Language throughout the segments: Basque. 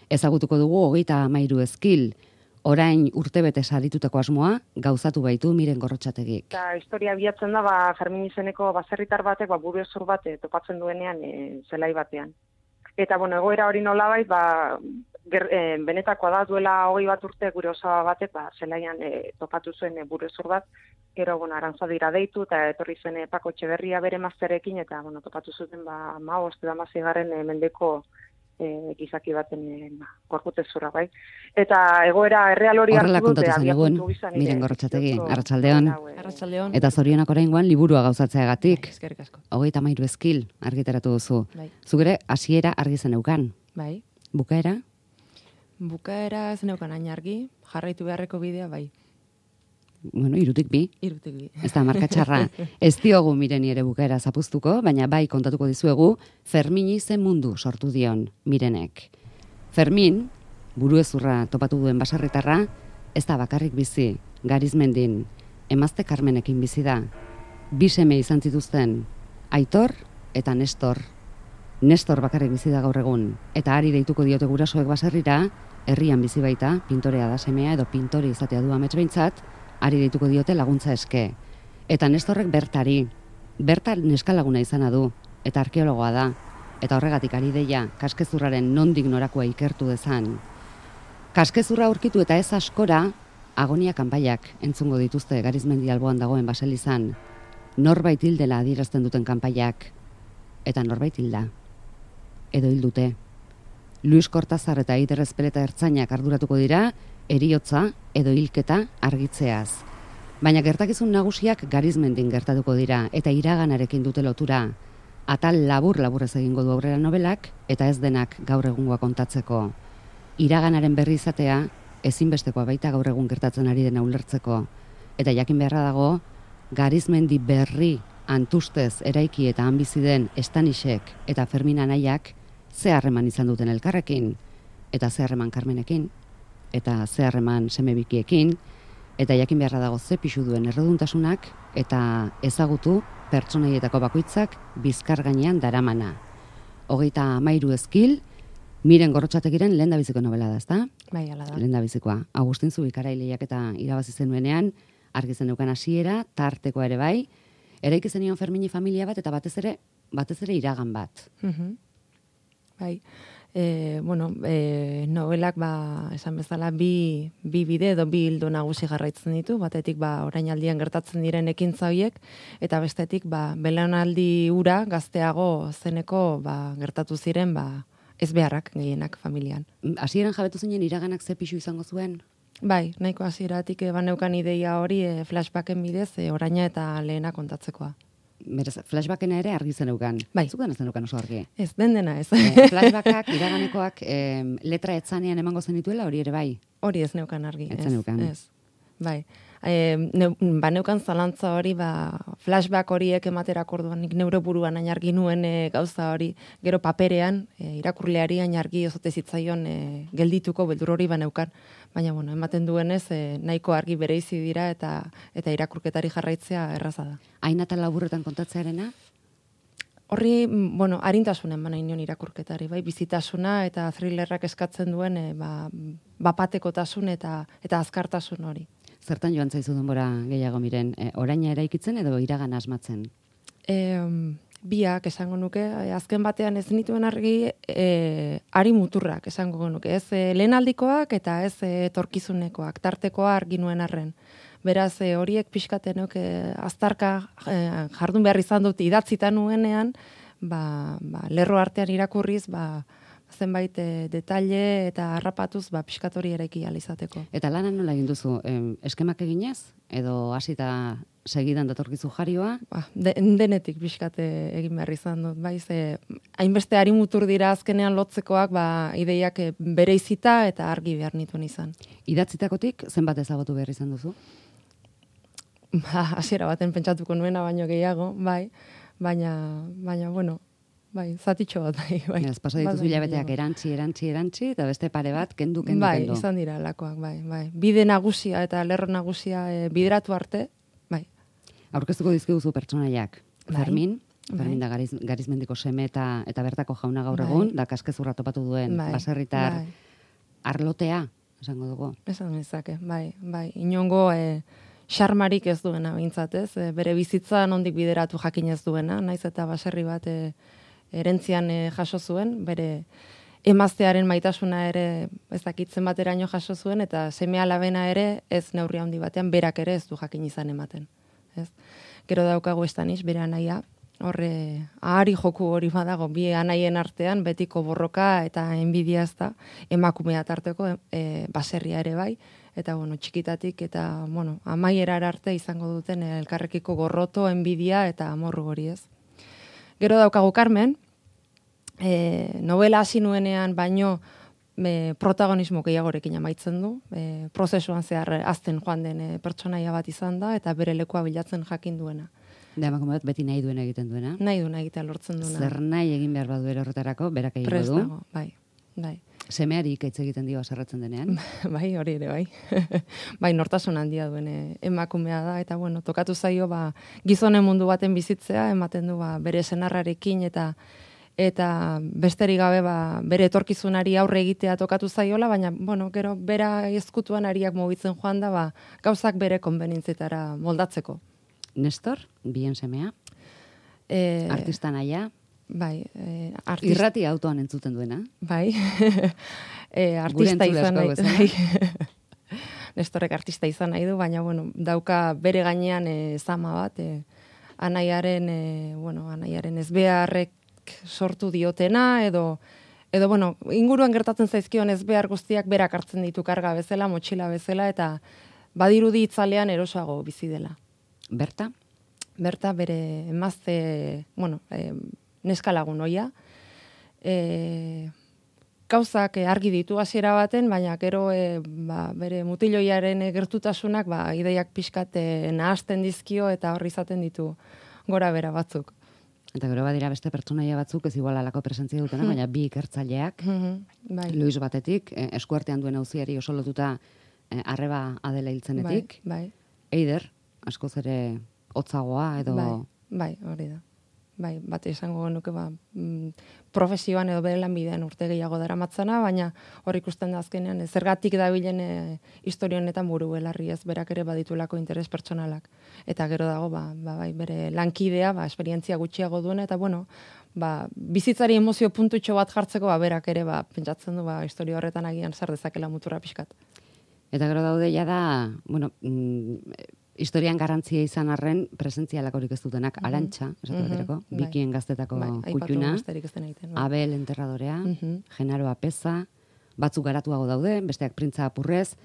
Ezagutuko dugu 33 ezkil, orain urtebete saritutako asmoa gauzatu baitu Miren Gorrotxategik. Eta historia bilatzen da, Fermin izeneko baserritar batek, burezur bat topatzen duenean zelai batean. Eta, egoera hori nolabait, benetakoa da, duela 21 urte gure osaba batek, zelaian topatu zuen burezur bat, gero, Arantzadira deitu, eta etorri zen Pako Etxeberria bere mazterekin, eta, topatu zuten, 15. Mendeko gizaki baten gorputezurra, bai. Eta egoera erreal hori horrela kontatu zen egun, Miren Gorrotxategi, arratsaldeon. Arratsaldeon. Eta zorionak oraingoan liburua gauzatzeagatik. Eskerrik asko. 33 ezkil argitaratu duzu. Bai. Zuk ere hasiera argi zeneukan. Bai. Bukaera? Bukaera ez neukan hain argi, jarraitu beharreko bidea, bai. Bueno, 3 bi. 3 bi. Ez da marka txarra. Ez diogu Mireni ere bukaera zapuztuko, baina bai kontatuko dizuegu Fermini ze mundu sortu dion Mirenek. Fermin, buruezurra topatu duen baserritarra, ez da bakarrik bizi, Garizmendin, Emazte Karmenekin bizi da. 2 seme izan zituzten, Aitor eta Nestor. Nestor bakarrik bizi da gaur egun, eta ari deituko diote gurasoek baserrira, herrian bizi baita, pintorea da semea edo pintore izatea du amets behintzat, ari deituko diote laguntza eske. Eta Nestorrek bertan neskalaguna izana du, eta arkeologoa da, eta horregatik ari deia kaskezurraren nondik norakoa ikertu dezan. Kaskezurra aurkitu eta ez askora, agonia kanpaiak entzungo dituzte Garizmendi alboan dagoen baselizan. Norbait hildela adierazten duten kanpaiak, eta norbait hilda. Edo hildute. Luis Cortazar eta Eider Ezpeleta ertzainak arduratuko dira, heriotza edo hilketa argitzeaz. Baina gertakizun nagusiak Garizmendin gertatuko dira eta iraganarekin dute lotura. Atal labur-laburrez egingo du aurrera nobelak eta ez denak gaur egungoa kontatzeko. Iraganaren berri izatea ezinbestekoa baita gaur egun gertatzen ari dena ulertzeko. Eta jakin beharra dago, Garizmendi berri antustez eraiki eta han bizi den Estanisek eta Fermin anaiak ze harreman izan duten elkarrekin, eta ze harreman Karmenekin, eta ze harreman semebikiekin, eta jakin beharra dago ze pixu duen erreduntasunak, eta ezagutu pertsonaietako bakoitzak bizkar gainean daramana. 33 ezkil, Miren Gorrotxategiren lehendabiziko novela da, ezta? Bai, hala da. Lehendabizikoa. Agustin Zubikara eta irabazi zenuenean, argi zeneukan hasiera, tartekoa ere bai, eraiki zenion Fermini familia bat eta batez ere iragan bat. Bai. Novelak esan bezala bi bide edo bi ildo nagusi jarraitzen ditu, batetik orainaldian gertatzen diren ekintza horiek eta bestetik belaunaldi hura gazteago zeneko gertatu ziren ez beharrak gehienak familian. Hasieran jabetu zinen iraganak ze pixu izango zuen? Bai, nahiko hasieratik baneukan ideia hori flashbacken bidez oraina eta lehena kontatzekoa. Beraz, flashbackena ere argi zeneukan. Bai. Zuken ez zeneukan oso argi. Ez, dena ez. Flashbackak, iraganekoak letra etzanean emango zenituela, hori ere bai? Hori ez neukan argi. Ez zeneukan. Ez. Bai. Neukan zalantza hori, flashback horiek ematerak orduan nik neure buruan hain argi nuen gauza hori, gero paperean, irakurleari hain argi ozote zitzaion geldituko beldur hori baneukan. Baina, ematen duenez, nahiko argi bereizi dira eta irakurketari jarraitzea erraza da. Hain eta laburretan kontatzearena? Horri, arintasunen nahi nion irakurketari, bai, bizitasuna eta thrillerrak eskatzen duen bapatekotasun eta azkartasun hori. Zertan joan zaizu denbora gehiago Miren, oraina eraikitzen edo iragana asmatzen? Biak esango nuke, azken batean ez nituen argi ari muturrak esango nuke, ez lehenaldikoak eta ez etorkizunekoak, tartekoa argi nuen arren. Beraz, horiek pixkatenok aztarka jardun behar izan dut idatzita nuenean, lerro artean irakurriz, zenbait detalle eta harrapatuz pixkatori eraiki alizateko. Eta lana nola egin duzu? Eskemak eginez? Edo hasita segidan datorkizu jarioa? Denetik pixkate egin behar izan dut. Hainbeste ari mutur dira azkenean lotzekoak ideiak bereizita eta argi behar nituen izan. Idatzitakotik zenbat ezagutu behar izan duzu? Hasiera baten pentsatuko nuena baino gehiago, bai. Baina, zatitxo bat, bai. Ez, pasa dituzu hilabeteak erantzi, eta beste pare bat, kendu. Bai, izan dira lakoak, bai. Bide nagusia eta lerro nagusia bideratu arte, bai. Aurkeztuko dizkiguzu pertsonaiak. Fermin da Garizmendiko seme eta bertako jauna gaur egun, da kaskezurra topatu duen baserritar arlotea, esango dugu. Esan nezake, bai. Inongo xarmarik ez duena behintzat, ez? Bere bizitza nondik bideratu jakin ez duena, naiz eta baserri bat erentzian jaso zuen, bere emaztearen maitasuna ere ez dakitzen bateraino jaso zuen, eta seme alabena ere ez neurri handi batean berak ere ez du jakin izan ematen. Ez? Gero daukagu estanis, bere anaia, horre ahari joku hori badago, bi anaien artean betiko borroka eta enbidia ez da, emakumea tarteko baserria ere bai, eta bueno, txikitatik eta bueno, amaierara arte izango duten elkarrekiko gorroto, enbidia eta amorru hori ez. Gero daukagu Carmen, novela hasi nuenean baino protagonismo gehiagorekin amaitzen du, prozesuan zehar azten joan den pertsonaia bat izan da, eta bere lekua bilatzen jakin duena. Da, emakume bat beti nahi duena egiten duena. Nahi duena egitea lortzen duena. Zer nahi egin behar badu horretarako, berak egingo du. Prest dago, bai. Semeari ikaitz egiten dio haserretzen denean. Bai, hori ere, bai. Bai, nortasun handia duen emakumea da, eta bueno, tokatu zaio, gizonen mundu baten bizitzea, ematen du, bere senarrarekin eta besterik gabe bere etorkizunari aurre egitea tokatu zaiola, baina bueno, gero bera ezkutuan ariak mugitzen joan da, gauzak bere konbenintzetara moldatzeko. Nestor, bien semea, artista naia, bai, irrati autoan entzuten duena. Bai, artista izan nahi du. Nestorrek artista izan nahi du, baina bueno, dauka bere gainean zama bat, anaiaren ezbeharrek sortu diotena, edo bueno, inguruan gertatzen zaizkion ezbehar guztiak berak hartzen ditu karga bezala, motxila bezala, eta badirudi itzalean erosoago bizi dela. Berta? Berta bere emazte, neska lagun oia. Gauzak argi ditu hasiera baten, baina gero bere mutiloiaren gertutasunak ideiak pixkat nahasten dizkio eta horri izaten ditu gora bera batzuk. Eta gero badira beste pertsonaia batzuk, ez igual alako presentzia dutena, baina bi ikertzaileak, bai. Luis batetik, eskuartean duen auziari oso lotuta arreba Adela hiltzenetik. Bai. Eider, askoz ere hotzagoa edo... Bai, hori da. Bai, bate esango genuke profesioan edo bere lanbidean urte gehiago daramatzana, baina hor ikusten da azkenean zergatik dabilen historia honetan buru belarri ez berak ere baditulako interes pertsonalak. Eta gero dago bai, bere lankidea, esperientzia gutxiago duena, eta bueno, bizitzari emozio puntutxo bat jartzeko berak ere pentsatzen du historia horretan agian zer dezakela muturra pixkat. Eta gero daude ja da, bueno, historian garrantzia izan arren presentzialakorik ez dutenak, Arantxa, esatu baterako, Bikien gaztetako kutxuna, Abel enterradorea, Genaro Apeza, batzuk garatuago daude, besteak Printza Apurrez.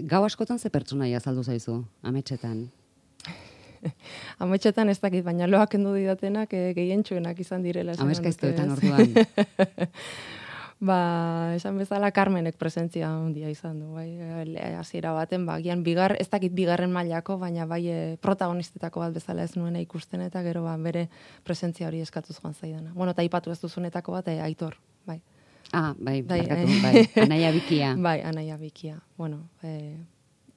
Gau askotan ze pertsonaia azaldu zaizu, ametsetan? Ametsetan ez dakit, baina loak endu didatenak gehientsuenak izan direla. Ameskaiztoetan orduan. Esan bezala Carmenek presentzia handia izan du, hasiera baten, gian ez dakit bigarren mailako, baina bai protagonistetako bat bezala ez nuena ikusten, eta gero bere presentzia hori eskatuz joan zaidana. Bueno, eta aipatu ez duzunetako bat, Aitor, bai. Bai, Anaia Bikia. Bai, Anaia Bikia. Bueno,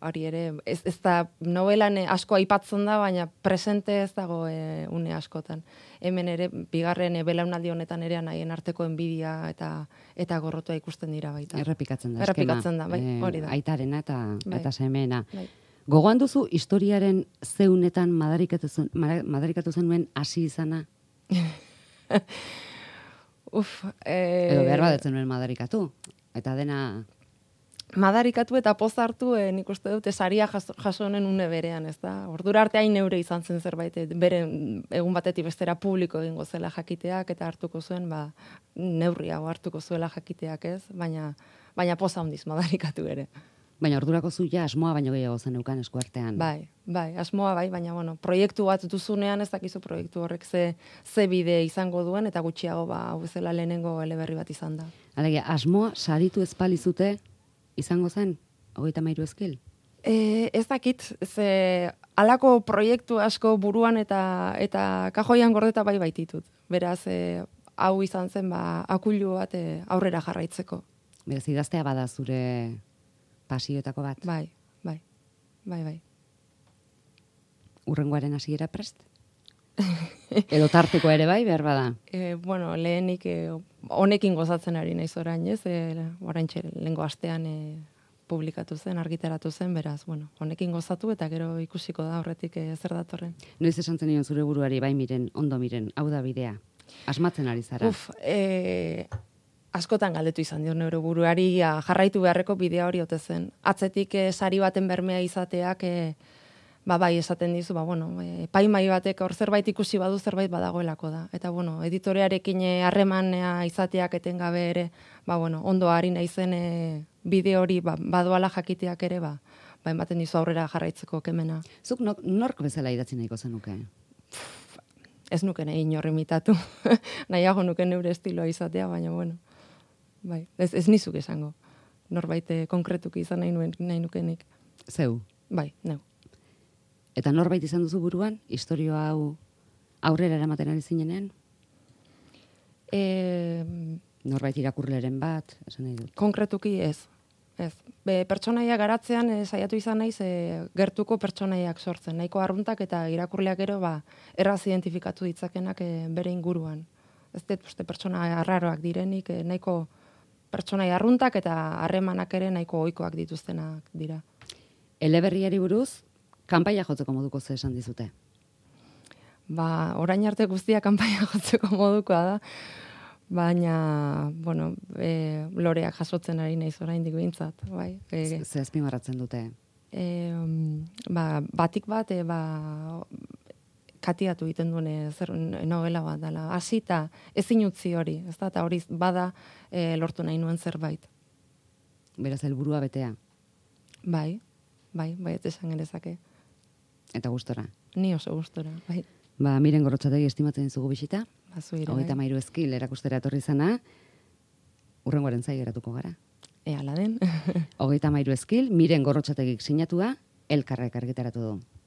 hori ere, ez da novelan asko aipatzen da, baina presente ez dago une askotan. Hemen ere, bigarren belaunaldi honetan ere anaien arteko enbidia eta gorrotua ikusten dira baita. Errepikatzen da, Errepikatzen da, bai, hori da. Aitarena eta semeena. Gogoan duzu historiaren zeunetan madarikatu zenuen hasi izana? Edo behar badetzen nuen madarikatu. Eta dena... Madarikatu eta poz hartu, nik uste dute saria jaso honen une berean, ez da? Ordura arte hain neure izan zen zerbait, bere egun batetik bestera publiko egingo zela jakiteak, eta hartuko zuen, neurriago hartuko zuela jakiteak, ez? Baina poz handiz madarikatu ere. Baina ordurako zu ja asmoa baino gehiago zen eukan eskuartean. Bai, asmoa bai, baina bueno, proiektu bat duzunean ez dakizu proiektu horrek ze bide izango duen, eta gutxiago hau bezala lehenengo eleberri bat izan da. Alegia, asmoa saritu ezpalizute izango zen, 33 ezkil? Ez dakit, halako proiektu asko buruan eta kajoian gordeta bai baititut. Beraz, hau izan zen akulu bat aurrera jarraitzeko. Beraz, idaztea bada zure pasioetako bat? Bai. Urrengoaren hasiera prest? Edo tarteko ere bai, behar bada. Bueno, lehenik honekin gozatzen ari naiz orain, ez? Oraintxe lehengo astean publikatu zen, argitaratu zen, beraz, bueno, honekin gozatu eta gero ikusiko da horretik zer datorren. Noiz esan zenion zure buruari, bai miren, ondo miren, hau da bidea. Asmatzen ari zara. Askotan galdetu izan dio neure buruari jarraitu beharreko bidea hori ote zen. Atzetik sari baten bermea izateak bai esaten dizu, bueno, epaimahai batek hor zerbait ikusi badu zerbait badagoelako da. Eta bueno, editorearekin harremanea izateak etengabe ere, bueno, ondo ari naizen bide hori badoala jakiteak ere, ematen dizu aurrera jarraitzeko kemena. Zuk nork bezala idatzi nahiko zenuke? Ez nuke nahi inor imitatu. Nahiago nuke neure estiloa izatea, baina bueno. Bai, ez nizuk esango. Norbait konkretuki izan nahi nukenik. Zeu? Bai, neu. Eta norbait izan duzu buruan, historia hau aurrera eramaten ari zinenean? Norbait irakurleren bat, esan nahi dut. Konkretuki ez. Pertsonaia garatzean saiatu izan naiz gertuko pertsonaiak sortzen. Nahiko arruntak eta irakurleak gero erraz identifikatu ditzakenak bere inguruan. Ez dut pertsona arraroak direnik, nahiko pertsonaia arruntak eta harremanak ere nahiko ohikoak dituztenak dira. Eleberriari buruz, kanpaia jotzeko moduko ze esan dizute? Orain arte guztia kanpaia jotzeko modukoa da, baina, bueno, loreak jasotzen ari naiz oraindik behintzat, bai. Ze azpimarratzen dute? Batik bat, katiatu egiten duen zer novela bat dela. Hasita ezin utzi hori, ez da, eta hori bada lortu nahi nuen zerbait. Beraz, helburua betea? Bai, ez esan genezake. Eta gustora? Ni oso gustora, bai. Miren Gorrotxategi estimatzen dizugu bisita. Zuire, 33 eskil erakustera etorri zana, hurrengoaren zai geratuko gara. Ala den. 33 eskil, Miren Gorrotxategik sinatua, Elkarrek argitaratu du.